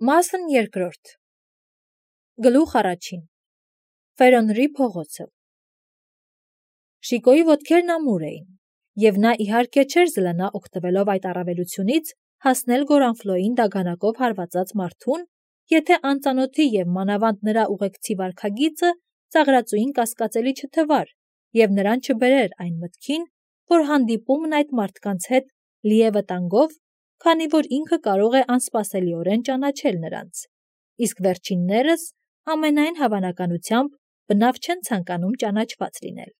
Մասն երկրորդ Գլուխ առաջին Ֆերոնրի փողոցը Շիկոյի ոտքերն ամուր էին, և նա իհարկե չէր զլանա օգտվելով այդ առավելությունից հասնել Գորանֆլոյին դագանակով հարվածած մարդուն, եթե անծանոթի և մանավանդ նրա ուղեկցի վարքագիծը ծաղրածուին կասկածելի չթվար և նրան չբերեր այն մտքին, որ հանդիպումն այդ մարդկանց հետ լի է վտանգով, քանի որ ինքը կարող է անսպասելիորեն ճանաչել նրանց, իսկ վերջիններս ամենայն հավանականությամբ բնավ չեն ցանկանում ճանաչված լինել։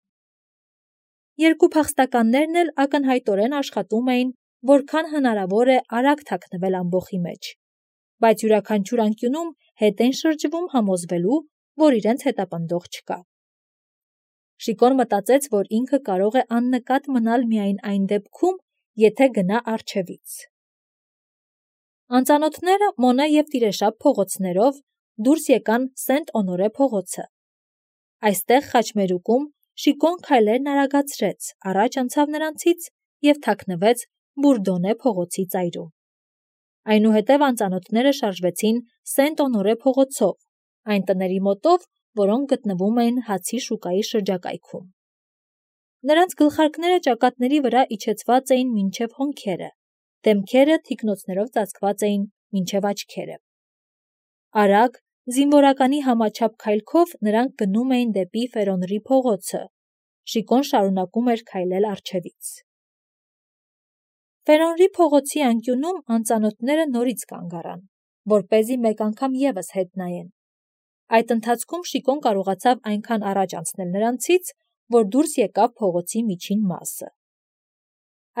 Երկու փախստականներն էլ ակնհայտորեն աշխատում էին, որքան հնարավոր է արագ թաքնվել ամբոխի մեջ, բայց յուրաքանչյուր անկյունում հետ են շրջվում համոզվելու, որ իրենց հետապնդող չկա։ Շիկոն մտածեց, որ ինքը կարող է աննկատ մնալ միայն այն դեպքում, եթե գնա առջևից։ Անծանոթները Մոնե և Տիրեշապ փողոցներով դուրս եկան Սենտ-Օնորե փողոցը։ Այստեղ խաչմերուկում Շիկոն քայլերն արագացրեց, առաջ անցավ նրանցից և թաքնվեց Բուրդոնե փողոցի ծայրում։ Այնուհետև անծանոթները շարժվեցին Սենտ-Օնորե փողոցով, այն տների մոտով, որոնք գտնվում էին հացի շուկայի շրջակայքում։ Նրանց գլխարկները ճակատների վրա իջեցված էին մինչև հոնքերը, դեմքերը թիկնոցներով ծածկված էին մինչև աչքերը։ Արագ, զինվորականի համաչափ քայլքով նրանք գնում էին դեպի Ֆերոնրի փողոցը։ Շիկոն շարունակում էր քայլել առջևից։ Ֆերոնրի փողոցի անկյունում անծանոթները նորից կանգ առան, որպեսզի մեկ անգամ ևս հետ նայեն։ Այդ ընթացքում Շիկոն կարողացավ այնքան առաջ անցնել նրանցից, որ դուրս եկավ փողոցի միջին մասը։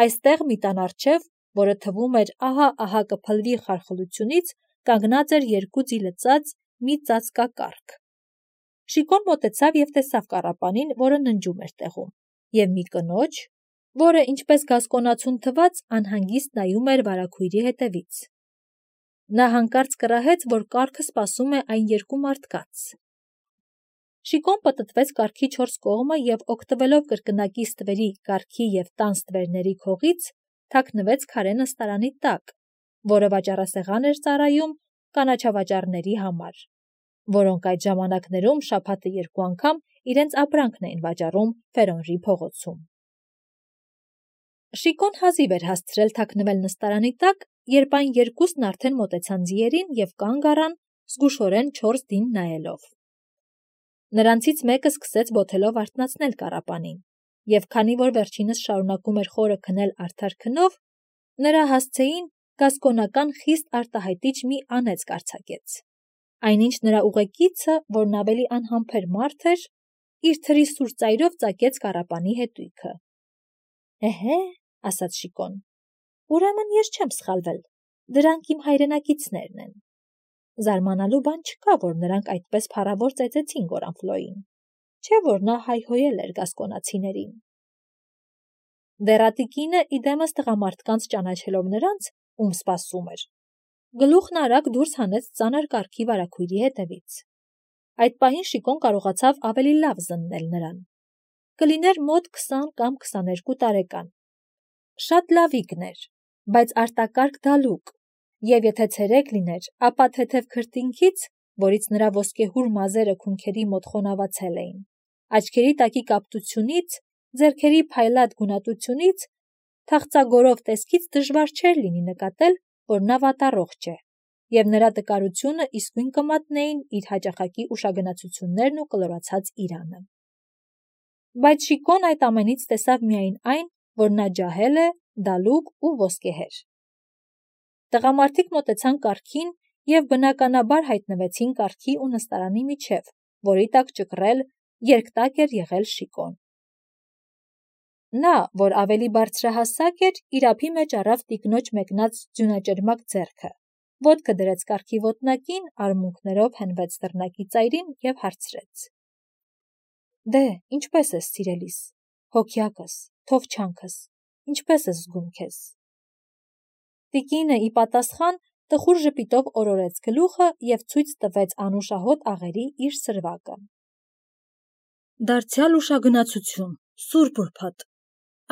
Այստեղ մի տան առջև, որը թվում էր ահա կփլվի խարխլությունից, կանգնած էր երկու ձի լծած մի ծածկակառք։ Շիկոն մոտեցավ և տեսավ կառապանին, որը ննջում էր տեղում, և մի կնոջ, որը, ինչպես գասկոնացուն թվաց, անհանգիստ նայում էր վարագույրի հետևից։ Նա հանկարծ կռահեց, որ կառքը սպասում է այն երկու մարդկանց։ Շիկոն պտտվեց կառքի 4 կողմը և օգտվելով կրկնակի ստվերի, կառքի և տան ստվերների քողից, թաքնվեց քարե նստարանի տակ, որը վաճառասեղան էր ծառայում կանաչավաճառների համար, որոնք այդ ժամանակներում շաբաթը 2 անգամ իրենց ապրանքն էին վաճառում Ֆերոնրի փողոցում։ Շիկոն հազիվ էր հասցրել թաքնվել նստարանի տակ, երբ այն երկուսն արդեն մոտեցան ձիերին և կանգ առան, զգուշորեն 4 դին նայելով։ Նրանցից մեկը սկսեց բոթելով արթնացնել կառապանին, և քանի որ վերջինս շարունակում էր խորը քնել արդար քնով, նրա հասցեին գասկոնական խիստ արտահայտիչ մի անեծք արձակեց։ Այնինչ նրա ուղեկիցը, որն ավելի անհամբեր մարդ էր, իր թրի սուր ծայրով ծակեց կառապանի հետույքը։ «Էհե», ասաց Շիկոն, «ուրեմն ես չեմ սխալվել, դրանք իմ հայրենակիցներն են»։ Զարմանալու բան չկա, որ նրանք այդպես փառավոր ծեծեցին Գորանֆլոյին, չէ՞ որ նա հայհոյել էր գասկոնացիներին։ Դեռատիկինը իդեմս տղամարդկանց ճանաչելով նրանց, ում սպասում էր, գլուխն արագ դուրս հանեց ծանր կառքի վարագույրի հետևից։ Այդ պահին Շիկոն կարողացավ ավելի լավ զննել նրան։ Կլիներ մոտ 20 կամ 22 տարեկան։ Շատ լավիկն էր, բայց արտակարգ դալուկ, և եթե ցերեկ լիներ, ապա թեթև քրտինքից, որից նրա ոսկեհուր մազերը քունքերի մոտ խոնավացել էին, աչքերի տակի կապտությունից, ձեռքերի փայլատ գունատությունից, թախծագորով տեսքից դժվար չէր լինի նկատել, որ նա վատառողջ է, և նրա տկարությունը իսկույն կմատնեին իր հաճախակի ուշագնացություններն ու կլորացած իրանը։ Բայց Շիկոն այդ ամենից տեսավ միայն այն, որ նա ջահել է, դալուկ ու ոսկեհեր։ Տղամարդիկ մոտեցան կառքին և բնականաբար հայտնվեցին կառքի ու նստարանի միջև, որի տակ ճկռել, երկտակ էր եղել Շիկոն։ Նա, որ ավելի բարձրահասակ էր, իր ափի մեջ առավ տիկնոջ մեկնած ձյունաճրմակ ձեռքը, ոտքը դրեց կառքի ոտնակին, արմունկներով հենվեց դռնակի ծայրին և հարցրեց. «Դե, ինչպե՞ս ես, սիրելիս, հոգյակս, թովչանքս, ինչպե՞ս ես զգում քեզ»։ Տիկինը ի պատասխան տխուր ժպիտով օրորեց գլուխը և ցույց տվեց անուշահոտ աղերի իր սրվակը։ «Դարձյալ ուշագնացություն, սուրբ ուրբաթ,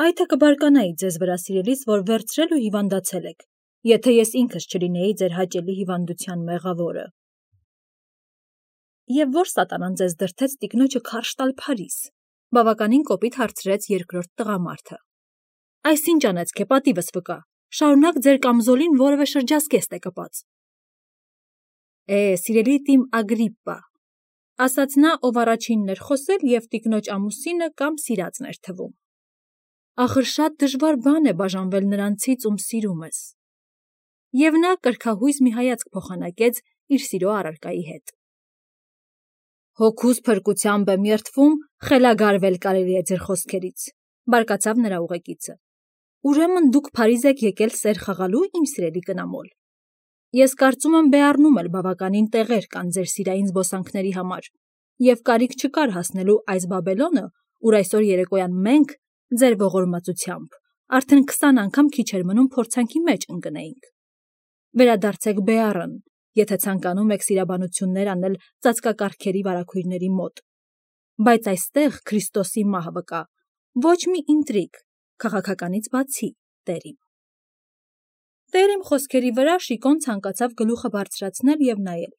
այ թե կբարկանայի ձեզ վրա, սիրելիս, որ վերցրել ու հիվանդացել եք, եթե ես ինքս չլինեի ձեր հաճելի հիվանդության մեղավորը։ Եվ որ սատանան ձեզ դրդեց տիկնոջը քարշ տալ Փարիզ, բավականին կոպիտ հարցրեց երկրորդ տղամարդը։ Այս ինչ անեցք է, պատիվս վկա, շարունակ ձեր կամզոլին որևէ շրջազգեստ է կպած։ Սիրելի տիմ Ագրիպպա, ասաց նա, ով առաջինն էր խոսել և տիկնոջ ամուսինը կամ սիրածն էր թվում։ Ախր շատ դժվար բան է բաժանվել նրանցից, ում սիրում ես։ Եվ նա կրքահույզ մի հայացք փոխանակեց իր սիրո առարկայի հետ։ Հոգուս փրկությամբ եմ երդվում, խելագարվել կարելի է ձեր խոսքերից, բարկացավ նրա ուղեկիցը։ Ուրեմն դուք Փարիզ եք եկել սեր խաղալու, իմ սիրելի կնամոլ։ Ես կարծում եմ բեառնում էլ բավականին տեղեր կան ձեր սիրային զբոսանքների համար, և կարիք չկար հասնելու այս Բաբելոնը, ուր այսօր երեկոյան մենք, ձեր ողորմածությամբ, արդեն 20 անգամ քիչ էր մնում փորձանքի մեջ ընկնեինք։ Վերադարձեք Բեառն, եթե ցանկանում եք սիրաբանություններ անել ծածկակառքերի վարագույրների մոտ։ Բայց այստեղ Քրիստոսի մահվը կա, ոչ մի ինտրիգ, քաղաքականից բացի, տերիմ։ Տերիմ խոսքերի վրա Շիկոն ցանկացավ գլուխը բարձրացնել և նայել,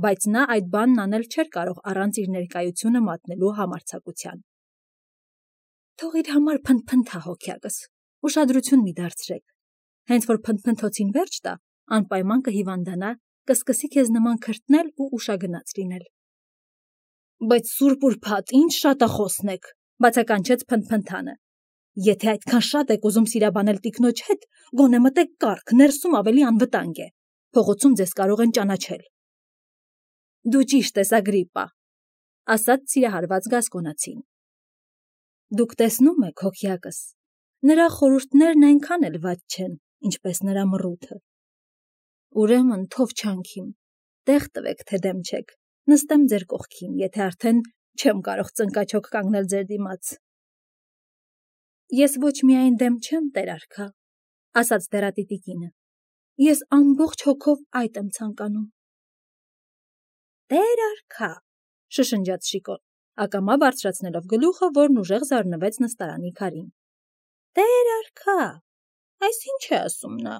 բայց նա այդ բանն անել չէր կարող առանց իր ներկայությունը մատնելու համարձակության։ Թող իր համար փնթփնթա հոգյակս, ուշադրություն մի դարձրեք, հենց որ փնթփնթոցին վերջ տա, անպայման կհիվանդանա, կսկսի քեզ նման քրտնել ու ուշագնաց լինել։ Բայց սուրբ ուրբաթ, ինչ շատախոսն եք, բացականչեց փնթփնթանը։ Եթե այդքան շատ եք ուզում սիրաբանել տիկնոջ հետ, գոնե մտեք կառք, ներսում ավելի անվտանգ է, փողոցում ձեզ կարող են ճանաչել։ Դու ճիշտ ես, Ագրիպպա, ասաց սիրահարված գասկոնացին։ Դուք տեսնում եք, հոգյակս, նրա խորհուրդներն այնքան էլ վատ չեն, ինչպես նրա մռութը։ Ուրեմն թով չանքիմ, տեղ տվեք, թե դեմ չեք, նստեմ ձեր կողքին, եթե արդեն չեմ կարող ծնկաչոք կանգնել ձեր դիմաց։ Ես ոչ միայն դեմ չեմ, տեր արքա, ասաց դեռատիտի կինը, ես ամբողջ հոգով այդ եմ ցանկանում։ Տեր արքա, շշնջաց Շիկոն, ակամա բարձրացնելով գլուխը, որն ուժեղ զարնվեց նստարանի քարին։ Տեր արքա, այս ինչ է ասում նա։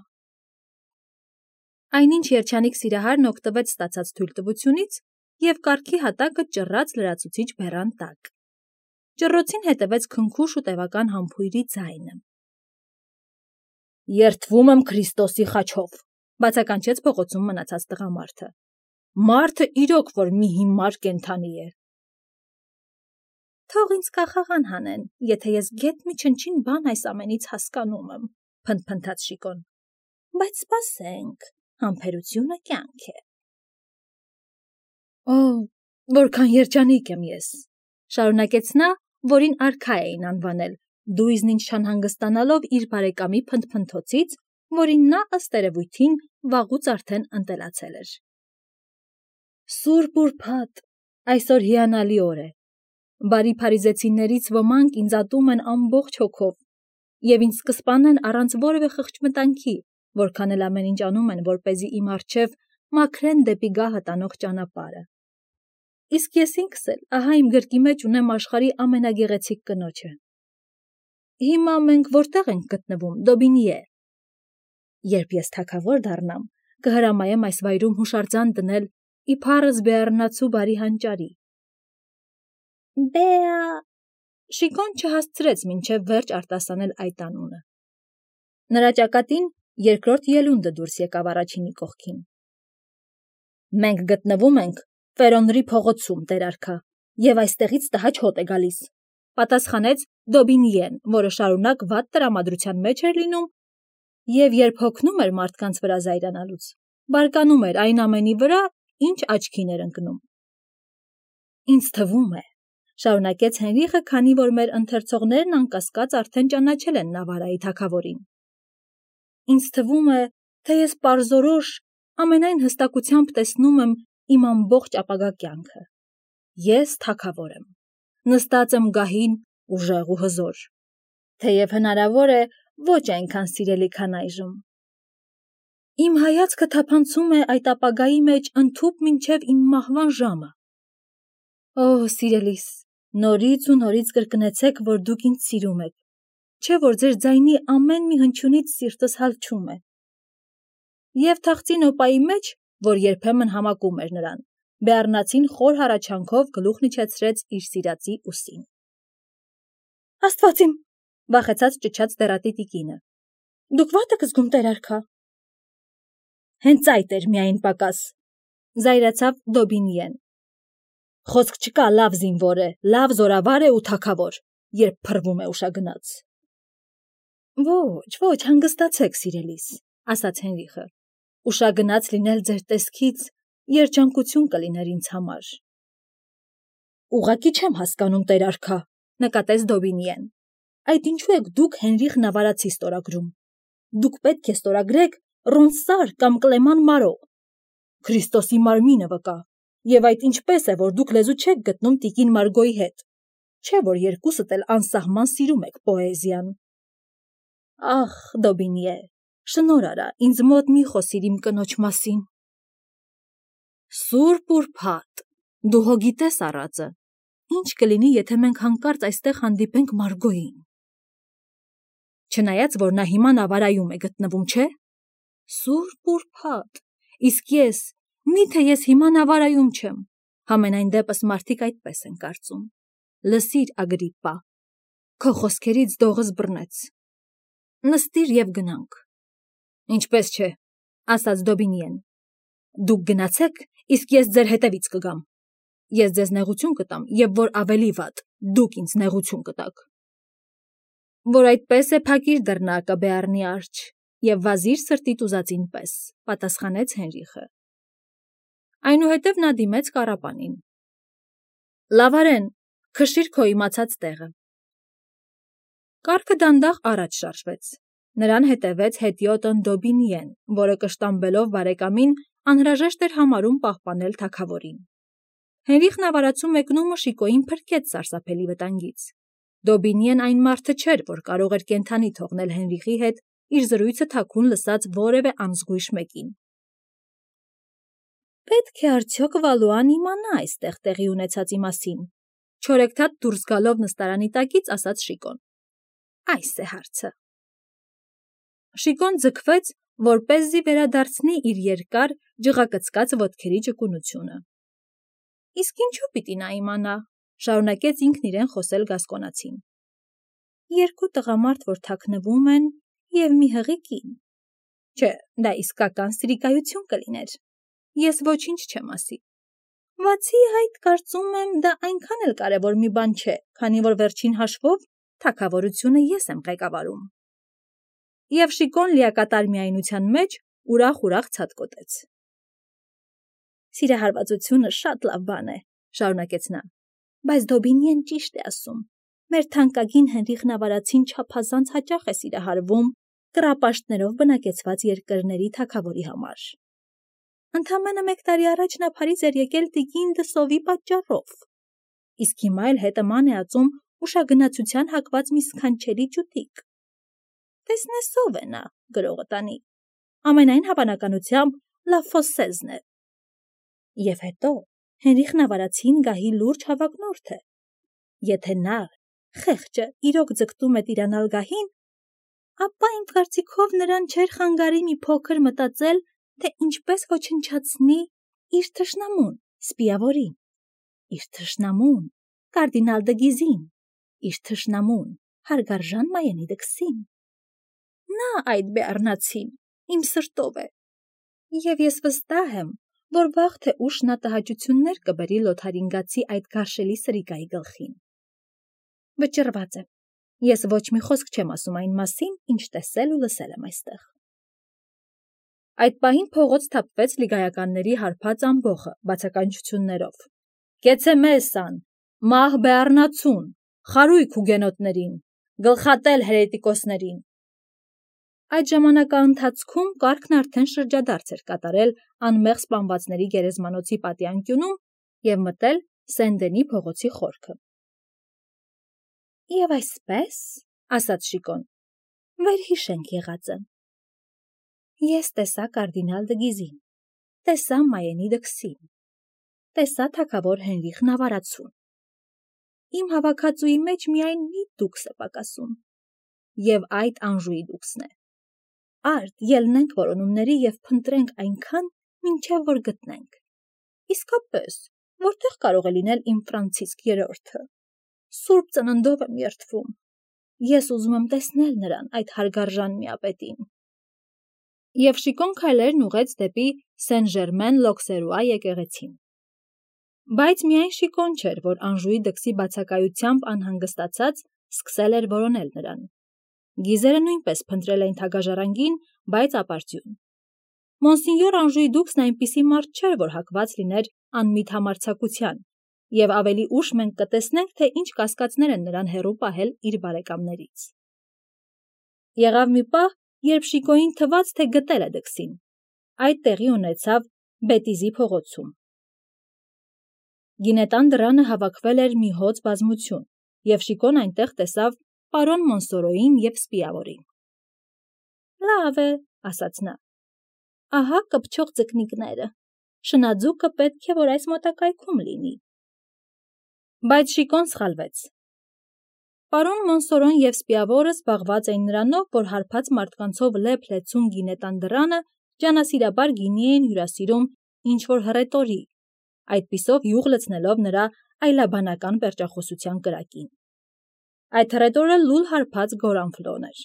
Այնինչ երջանիկ սիրահարն օգտվեց ստացած թույլտվությունից և կառքի հատակը ճռռաց լրացուցիչ բեռան տակ։ Ճռռոցին հետևեց քնքուշ ու տևական համբույրի ձայնը։ Երդվում եմ Քրիստոսի խաչով, բացականչեց փողոցում մնացած տղամարդը։ Մարդը իրոք որ մի հիմար կենդանի է։ Թող ինձ կախաղան հանեն, եթե ես գեթ մի չնչին բան այս ամենից հասկանում եմ, փնթփնթաց Շիկոն։ Բայց սպասենք, համբերությունը կյանք է։ Որքան երջանիկ եմ ես, շարունակեց նա, որին արքա էին անվանել, դույզն ինչ չանհանգստանալով իր բարեկամի փնթփնթոցից, որին նա ըստ երևույթին վաղուց արդեն ընտելացել էր։ Սուրբ ուրբաթ, այսօր հիանալի օր է։ Բարի փարիզեցիներից ոմանք ինձ ատում են ամբողջ հոգով և ինձ կսպանեն առանց որևէ խղճմտանքի, որքան էլ ամեն ինչ անում են, որպեսզի իմ առջև մաքրեն դեպի գահը տանող ճանապարհը։ Իսկ ես ինքս էլ, ահա իմ գրկի մեջ ունեմ աշխարհի ամենագեղեցիկ կնոջը։ Հիմա մենք որտեղ ենք գտնվում, Դոբինիե։ Երբ ես թագավոր դառնամ, կհրամայեմ այս վայրում հուշարձան դնել իբարս բեառնացու բարի հանճարի։ Շիկոն չհասցրեց մինչև վերջ արտասանել այդ անունը։ Նրա ճակատին երկրորդ ելունդը դուրս եկավ առաջինի կողքին։ Մենք գտնվում ենք Ֆերոնրի փողոցում, տեր արքա, և այստեղից տհաճ հոտ է գալիս, պատասխանեց Դոբինիեն, որը շարունակ վատ տրամադրության մեջ էր լինում և երբ հոգնում էր մարդկանց վրա զայրանալուց, բարկանում էր այն ամենի վրա, ինչ աչքին էր ընկնում։ Ինձ թվում է, շարունակեց Հենրիխը, քանի որ մեր ընթերցողներն անկասկած արդեն ճանաչել են Նավարայի թագավորին։ Ինձ թվում է, թե ես պարզորոշ ամենայն հստակությամբ տեսնում եմ իմ ամբողջ ապագա կյանքը։ Ես թագավոր եմ, նստած եմ գահին ուժեղ ու հզոր, թեև հնարավոր է ոչ այնքան սիրելի, քան այժմ։ Իմ հայացքը թափանցում է այդ ապագայի մեջ ընդհուպ մինչև իմ մահվան ժամը։ Սիրելիս, նորից ու նորից կրկնեցեք, որ դուք ինձ սիրում եք, չէ՞ որ ձեր ձայնի ամեն մի հնչյունից սիրտս հալչում է։ Եվ թախծի նոպայի մեջ, որ երբեմն համակում էր նրան, Բեառնացին խոր հառաչանքով գլուխն իջեցրեց իր սիրածի ուսին։ Աստված իմ, վախեցած ճչաց դեռատի տիկինը։ Դուք ո՞ատ եք զգում, տեր արքա։ Հենց այդ էր միայն պակաս, զայրացավ Դոբինիեն։ Խոսք չկա, լավ զինվոր է, լավ զորավար է ու թագավոր, երբ փռվում է ուշագնաց։ Ոչ, հանգստացեք, սիրելիս, ասաց Հենրիխը։ Ուշագնաց լինել ձեր տեսքից երջանկություն կլիներ ինձ համար։ Ուղղակի չեմ հասկանում, տեր արքա, նկատեց Դոբինիեն։ Այդ ինչու եք դուք Հենրիխ Նավարացի ստորագրում։ Դուք պետք է ստորագրեք Ռոնսար կամ Կլեման Մարո։ Քրիստոսի մարմինը վկա։ Եվ այդ ինչպես է, որ դուք լեզու չեք գտնում տիկին Մարգոյի հետ։ Չէ՞ որ երկուսդ էլ անսահման սիրում եք պոեզիան։ Ախ, Դոբինիե, շնոր արա, ինձ մոտ մի խոսիր իմ կնոջ մասին։ Սուրբ ուրբաթ, դու հո գիտես առածը։ Ինչ կլինի, եթե մենք հանկարծ այստեղ հանդիպենք Մարգոյին։ Չնայած, որ նա հիմա Նավարայում է գտնվում, չէ՞։ Սուրբ ուրբաթ, իսկ ես, միթե ես հիմա Նավարայում չեմ։ Համենայն դեպս մարդիկ այդպես են կարծում։ Լսիր, Ագրիպպա, քո խոսքերից դողս բռնեց։ Նստիր եւ գնանք։ Ինչպես չէ, ասաց Դոբինիեն։ Դուք գնացեք, իսկ ես ձեր հետևից կգամ։ Ես ձեզ նեղություն կտամ, եւ որ ավելի վատ, դուք ինձ նեղություն կտաք։ Որ այդպես է, փակիր դռնակը, Բեառնի արջ, եւ վազիր սրտիդ ուզածին պես, պատասխանեց Հենրիխը։ Այնուհետև նա դիմեց կառապանին։ Լավարեն, քշիր քո իմացած տեղը։ Կառքը դանդաղ առաջ շարժվեց։ Նրան հետևեց հետիոտն Դոբինիեն, որը կշտամբելով բարեկամին անհրաժեշտ էր համարում պահպանել թագավորին։ Հենրիխ Նավարացու մեկնումը Շիկոյին փրկեց սարսափելի վտանգից։ Դոբինիեն այն մարդը չէր, որ կարող էր կենդանի թողնել Հենրիխի հետ իր զրույցը թաքուն լսած որևէ անզգույշ մեկին։ Պետք է արդյոք Վալուան իմանա այստեղ տեղի ունեցածի մասին, չորեքթաթ դուրս գալով նստարանի տակից ասաց Շիկոն։ Այս է հարցը։ Շիկոն ձգվեց, որպեսզի վերադարձնի իր երկար, ջղակծկած ոտքերի ճկունությունը։ Իսկ ինչու պիտի նա իմանա, շարունակեց ինքն իրեն խոսել գասկոնացին։ Երկու տղամարդ, որ թաքնվում են, եւ մի հղի կին։ Չէ, դա իսկական սրիկայություն կլիներ։ Ես ոչինչ չեմ ասի։ Բացի այդ, կարծում եմ, դա այնքան էլ կարևոր մի բան չէ, քանի որ վերջին հաշվով թագավորությունը ես եմ ղեկավարում։ Եվ Շիկոն լիակատար միայնության մեջ ուրախ ցատկոտեց։ Սիրահարվածությունը շատ լավ բան է, շարունակեց նա, բայց Դոբինիեն ճիշտ է ասում։ Մեր թանկագին Հենրիխ Նավարացին չափազանց հաճախ է սիրահարվում կռապաշտներով բնակեցված երկրների թագավորի համար։ Ընդամենը 1 տարի առաջ նա Փարիզ էր եկել տիկին Դսովի պատճառով։ Իսկ հիմա էլ հետը ման է ածում ուշագնացության հակված մի սքանչելի ջութիկ։ Տեսնես ով է նա, գրողը տանի։ Ամենայն հավանականությամբ Լա Ֆոսեզն է։ Եվ հետո Հենրիխ Նավարացին գահի լուրջ հավակնորդ է։ Եթե նա, խեղճը, իրոք ձգտում է տիրանալ գահին, ապա իմ կարծիքով նրան չէր խանգարի մի փոքր մտածել, թե ինչպես ոչնչացնի իր թշնամուն, Սպիավորին, իր թշնամուն, կարդինալ դը Գիզին, իր թշնամուն, հարգարժան Մայենի դքսին։ Նա այդ Բեառնացին իմ սրտով է։ Եվ ես վստահ եմ, որ վաղ թե ուշ նա տհաճություններ կբերի Լոթարինգացի այդ գարշելի սրիկայի գլխին։ Վճռված եմ։ Ես ոչ մի խոսք չեմ ասում այն մասին, ինչ տեսել ու լսել եմ այստեղ։ Այդ պահին փողոց թափվեց լիգայականների հարբած ամբոխը, բացականչություններով։ Կեցե մեսան, մահ Բեառնացուն, խարույկ հուգենոտներին, գլխատել հերետիկոսներին։ Այդ ժամանակաընթացքում կարգն արդեն շրջադարձ էր կատարել անմեղ սպանվածների գերեզմանոցի պատի և մտել Սեն-Դենի փողոցի խորքը։ Եվ այսպես, ասաց Շիկոն, վերհիշենք եղածը։ Ես տեսա կարդինալ դը Գիզին, տեսա Մայենի դքսին, տեսա թագավոր Հենրիխ Նավարացուն։ Իմ հավաքածուի մեջ միայն մի դուքս է պակասում, և այդ Անժուի դուքսն է։ արդ ելնենք որոնումների և փնտրենք այնքան, մինչև որ գտնենք։ Իսկապես, որտեղ կարող է լինել իմ Ֆրանցիսկ III-ը։ Սուրբ ծննդով եմ երդվում։ Ես ուզում եմ տեսնել նրան, այդ հարգարժան միապետին։ Եվ Շիկոն քայլերն ուղղեց դեպի Սեն-Ժերմեն-Լոքսերուա եկեղեցին։ Բայց միայն Շիկոն չէր, որ Անժուի դքսի բացակայությամբ անհանգստացած սկսել էր որոնել նրան։ Գիզերը նույնպես փնտրել էին թագաժառանգին, բայց ապարդյուն։ Մոնսինյոր Անժուի դուքսն այնպիսի մարդ չէր, որ հակված լիներ անմիտ համարձակության, և ավելի ուշ մենք կտեսնենք, թե ինչ կասկածներ են նրան հեռու պահել իր բարեկամներից։ Եղավ մի պահ, երբ Շիկոյին թվաց, թե գտել է դքսին։ Այդ տեղի ունեցավ Բետիզի փողոցում։ Գինետան դռանը հավաքվել էր մի հոծ բազմություն, և Շիկոն այնտեղ տեսավ պարոն Մոնսորոյին և Սպիավորին։ Լավ է, ասաց նա։ Ահա կպչող ձկնիկները։ Շնաձուկը պետք է, որ այս մոտակայքում լինի։ Բայց Շիկոն սխալվեց։ Պարոն Մոնսորոն և Սպիավորը զբաղված էին նրանով, որ հարբած մարդկանցով լեփ-լեցուն գինետան դռանը ջանասիրաբար գինի էին հյուրասիրում ինչ-որ հռետորի, այդպիսով յուղ լցնելով նրա այլաբանական պերճախոսության կրակին։ Այդ հռետորը լուլ հարբած Գորանֆլոն էր։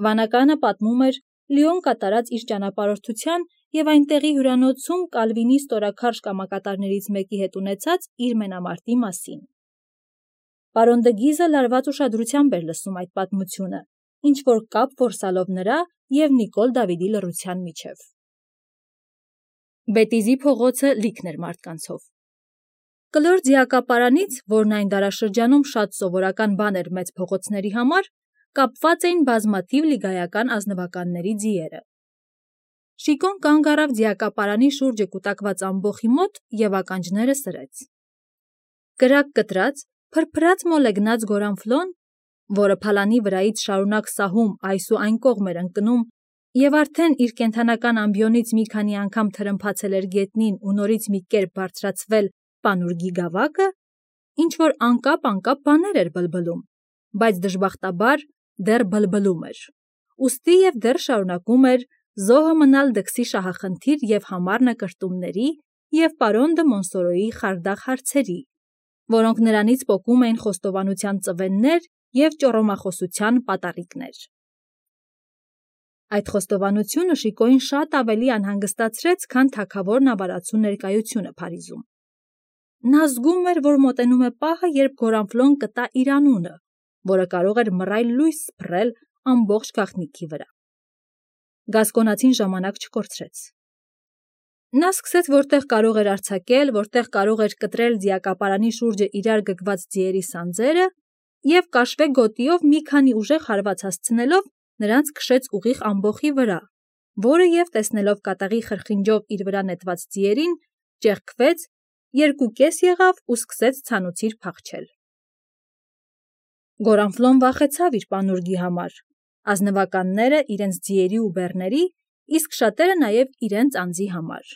Վանականը պատմում էր Լիոն կատարած իր ճանապարհորդության և այնտեղի հյուրանոցում Կալվինի ստորաքարշ կամակատարներից մեկի հետ ունեցած իր մենամարտի մասին։ Պարոն դը Գիզը լարված ուշադրությամբ էր լսում այդ պատմությունը, ինչ-որ կապ որսալով նրա և Նիկոլ Դավիդի լռության միջև։ Բետիզի փողոցը լիքն էր մարդկանցով։ Կլոր ձիակապարանից, որն այն դարաշրջանում շատ սովորական բան էր մեծ փողոցների համար, կապված էին բազմաթիվ լիգայական ազնվականների ձիերը։ Շիկոն կանգ առավ ձիակապարանի շուրջը կուտակված ամբոխի մոտ և ականջները սրեց։ Կրակ կտրած, փրփրած մոլեգնած Գորանֆլոն, որը փալանի վրայից շարունակ սահում այս ու այն կողմ էր ընկնում և արդեն իր կենդանական ամբիոնից մի քանի անգամ թրմփացել էր գետնին ու նորից մի կերպ բարձրացվել Պանուրգի գավակը, ինչ-որ անկապ բաներ էր բլբլում, բայց դժբախտաբար դեռ բլբլում էր, ուստի և դեռ շարունակում էր զոհը մնալ դքսի շահախնդիր և համառ նկրտումների և պարոն դը Մոնսորոյի խարդախ հարցերի, որոնք նրանից պոկում էին խոստովանության ծվեններ և ճոռոմախոսության պատառիկներ։ Այդ խոստովանությունը Շիկոյին շատ ավելի անհանգստացրեց, քան թագավորն ավարացու ներկայությունը Փարիզում։ Նա զգում էր, որ մոտենում է պահը, երբ Գորանֆլոն կտա իր անունը, որը կարող էր մռայլ լույս սփռել ամբողջ գաղտնիքի վրա։ Գասկոնացին ժամանակ չկորցրեց։ Նա սկսեց որտեղ կարող էր արձակել, որտեղ կարող էր կտրել ձիակապարանի շուրջը իրար գգված ձիերի սանձերը և կաշվե գոտիով մի քանի ուժեղ հարված հասցնելով նրանց քշեց ուղիղ ամբոխի վրա, որը և տեսնելով կատաղի խրխինջով իր վրա նետված ձիերին, ճեղքվեց, երկուկես եղավ ու սկսեց ցանուցիր փախչել։ Գորանֆլոն վախեցավ իր պանուրգի համար, ազնվականները իրենց ձիերի ու բեռների, իսկ շատերը նաև իրենց անձի համար։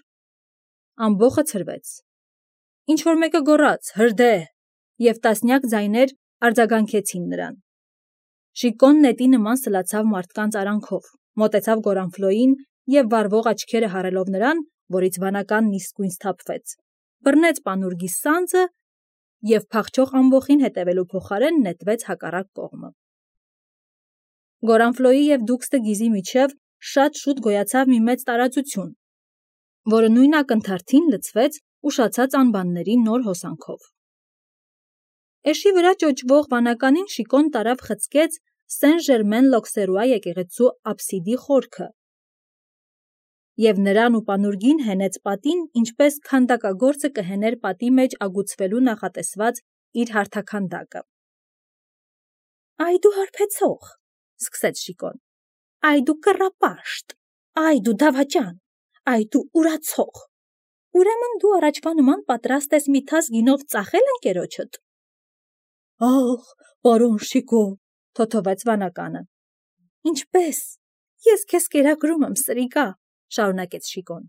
Ամբոխը ցրվեց։ Ինչ-որ մեկը գոռաց. «Հրդեհ», և տասնյակ ձայներ արձագանքեցին նրան։ Շիկոն նետի նման սլացավ մարդկանց արանքով, մոտեցավ Գորանֆլոյին և վառվող աչքերը հառելով նրան, որից վանականն իսկույն սթափվեց, բռնեց պանուրգի սանձը և փախչող ամբոխին հետևելու փոխարեն նետվեց հակառակ կողմը։ Գորանֆլոյի և դուքս դը Գիզի միջև շատ շուտ գոյացավ մի մեծ տարածություն, որը նույն ակնթարթին լցվեց ուշացած անբանների նոր հոսանքով։ Էշի վրա ճոճվող վանականին Շիկոն տարավ խցկեց Սեն-Ժերմեն-Լոքսերուա եկեղեցու աբսիդի խորքը և նրան ու պանուրգին հենեց պատին, ինչպես քանդակագործը կհեներ պատի մեջ ագուցվելու նախատեսված իր հարթաքանդակը։ «Այ դու հարբեցող», սկսեց Շիկոն, «այ դու կռապաշտ, այ դու դավաճան, այ դու ուրացող, ուրեմն դու առաջվա նման պատրաստ ես մի թաս գինով ծախել ընկերոջդ»։ «Ախ, պարոն Շիկո», թոթվեց վանականը։ «Ինչպե՞ս, ես քեզ կերակրում եմ, սրիկա», շարունակեց Շիկոն։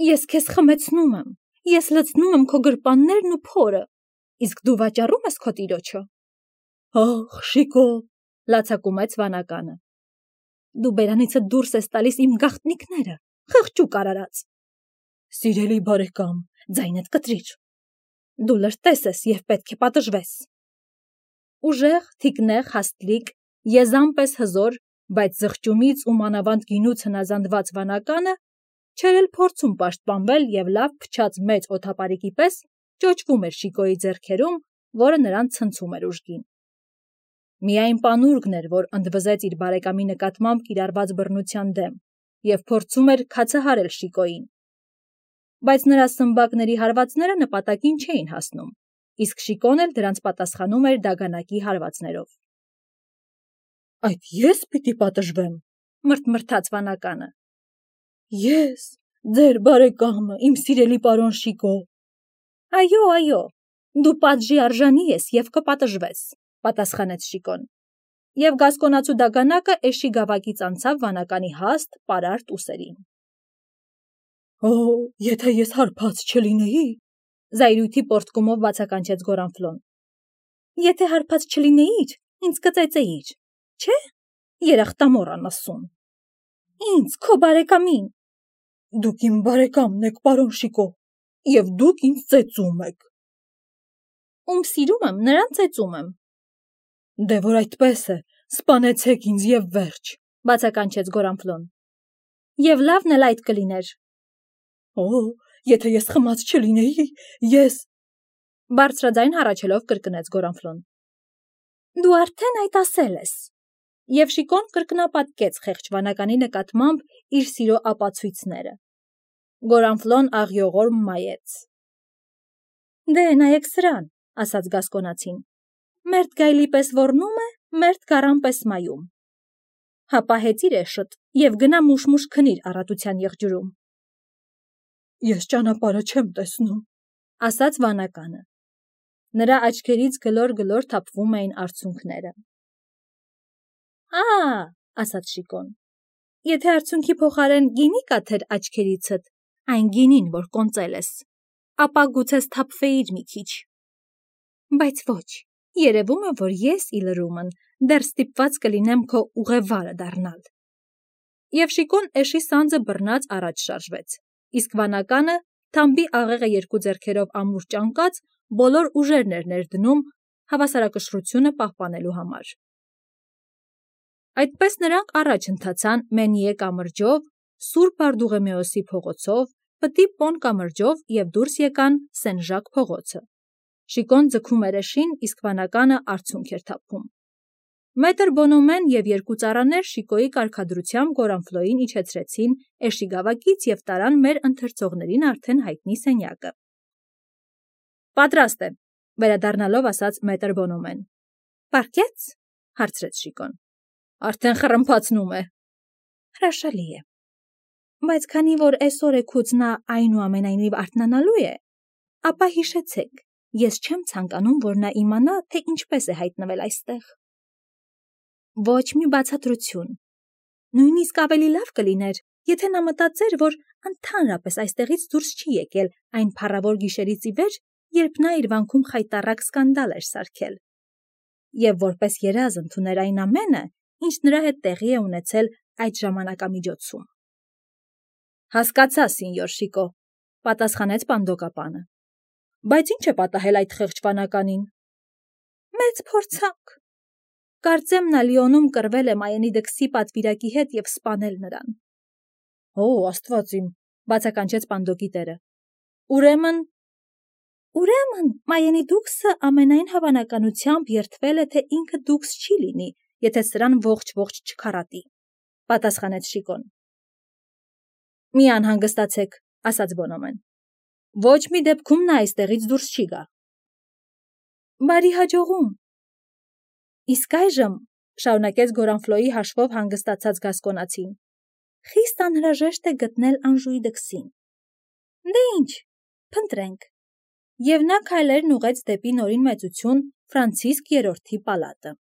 «Ես քեզ խմեցնում եմ, ես լցնում եմ քո գրպաններն ու փորը, իսկ դու վաճառում ես քո տիրոջը»։ «Ախ, Շիկո», լացակումեց վանականը։ Դու բերանիցդ դուրս ես տալիս իմ գաղտնիքները, խղճուկ արարած։ Սիրելի բարեկամ, ձայնդ կտրիր։ Դու լրտես ես և պետք է պատժվես։ Ուժեղ, թիկնեղ, հաստլիկ, եզան պես հզոր, բայց զղջումից ու մանավանդ գինուց հնազանդված վանականը չէր էլ փորձում պաշտպանվել և լավ փչած մեծ օդապարիկի պես ճոճվում էր Շիկոյի ձեռքերում, որը նրան ցնցում էր ուժգին։ Միայն պանուրգն էր, որ ընդվզեց իր բարեկամի նկատմամբ կիրառված բռնության դեմ և փորձում էր քացահարել Շիկոյին։ Բայց նրա սմբակների հարվածները նպատակին չէին հասնում, իսկ Շիկոն էլ դրանց պատասխանում էր դագանակի հարվածներով։ Այդ ես պիտի պատժվեմ, մրթմրթաց վանականը։ Ես, ձեր բարեկամը, իմ սիրելի պարոն Շիկո։ Այո, դու պատժի արժանի ես և կպատժվես, պատասխանեց Շիկոն։ Եվ գասկոնացու դագանակը էշի գավակից անցավ վանականի հաստ, պարարտ ուսերին։ Եթե ես հարբած չլինեի, զայրույթի պոռթկումով բացականչեց Գորանֆլոն։ Եթե հարբած չլինեիր, ինձ կծեծեիր, չէ՞, երախտամոռ անասուն։ Ինձ, քո բարեկամին։ Դուք իմ բարեկամն եք, պարոն Շիկո, և դուք ինձ ծեծում եք։ Ում սիրում եմ, նրան ծեծում եմ։ Դե որ այդպես է, սպանեցեք ինձ և վերջ, բացականչեց Գորանֆլոն։ Եվ լավն էլ այդ կլիներ։ Եթե ես խմած չլինեի, ես… Բարձրաձայն հառաչելով կրկնեց Գորանֆլոն։ Դու արդեն այդ ասել ես։ Եվ Շիկոն կրկնապատկեց խեղճ վանականի նկատմամբ իր սիրո ապացույցները։ Գորանֆլոն աղյողոր մայեց։ Դե նայեք սրան, ասաց գասկոնացին։ Մերթ գայլի պես ոռնում է, մերթ գառան պես մայում։ Հապա հեծիր էշըդ և գնա մուշ-մուշ քնիր առատության եղջյուրում։ Ես ճանապարհը չեմ տեսնում, ասաց վանականը։ Նրա աչքերից գլոր-գլոր թափվում էին արցունքները։ Ասաց Շիկոն, եթե արցունքի փոխարեն գինի կաթեր աչքերիցդ, այն գինին, որ կոնծել ես, ապա գուցե սթափվեիր մի քիչ։ Բայց ոչ, երևում է, որ ես, ի լրումն, դեռ ստիպված կլինեմ քո ուղևորը դառնալ։ Եվ Շիկոն էշի սանձը բռնած առաջ շարժվեց, իսկ վանականը, թամբի աղեղը երկու ձեռքերով ամուր ճանկած, բոլոր ուժերն էր ներդնում հավասարակշռությունը պահպանելու համար։ Այդպես նրանք առաջ ընթացան Մենիե կամրջով, Սուրբ Բարդուղեմեոսի փողոցով, Պտի Պոն կամրջով և դուրս եկան Սեն Ժակ փողոցը։ Շիկոն ձգում էր էշին, իսկ վանականը արցունք էր թափում։ Մետր Բոնոմեն և երկու ծառաներ Շիկոյի կարգադրությամբ Գորանֆլոյին իջեցրեցին էշի գավակից և տարան մեր ընթերցողներին արդեն հայտնի սենյակը։ Պատրաստ է, վերադառնալով ասաց մետր Բոնոմեն։ Պառկե՞ց, հարցրեց Շիկոն։ Արդեն խռմփացնում է։ Հրաշալի է։ Բայց քանի որ էսօր էգուց նա այնուամենայնիվ արթնանալու է, ապա հիշեցեք, ես չեմ ցանկանում, որ նա իմանա, թե ինչպես է հայտնվել այստեղ։ Ոչ մի բացատրություն։ Նույնիսկ ավելի լավ կլիներ, եթե նա մտածեր, որ ընդհանրապես այստեղից դուրս չի եկել այն փառավոր գիշերից ի վեր, երբ նա իր վանքում խայտառակ սկանդալ էր սարքել, և որպես երազ ընդուներ այն ամենը, ինչ նրա հետ տեղի է ունեցել այդ ժամանակամիջոցում։ Հասկացա, սինյոր Շիկո, պատասխանեց պանդոկապանը։ Բայց ինչ է պատահել այդ խեղճ վանականին։ Մեծ փորձանք։ Կարծեմ նա Լիոնում կռվել է Մայենի դքսի պատվիրակի հետ և սպանել նրան։ Աստված իմ, բացականչեց պանդոկի տերը։ Ուրեմն Մայենի դուքսը ամենայն հավանականությամբ երդվել է, թե ինքը դուքս չի լինի, եթե սրան ողջ չքառատի, պատասխանեց Շիկոն։ Մի անհանգստացեք, ասաց Բոնոմեն։ Ոչ մի դեպքում նա այստեղից դուրս չի գա։ Բարի հաջողում։ Իսկ այժմ, շարունակեց Գորանֆլոյի հաշվով հանգստացած գասկոնացին, խիստ անհրաժեշտ է գտնել Անժուի դքսին։ Դե ինչ, փնտրենք։ Եվ նա քայլերն ուղղեց դեպի նորին մեծություն Ֆրանցիսկ III-ի պալատը։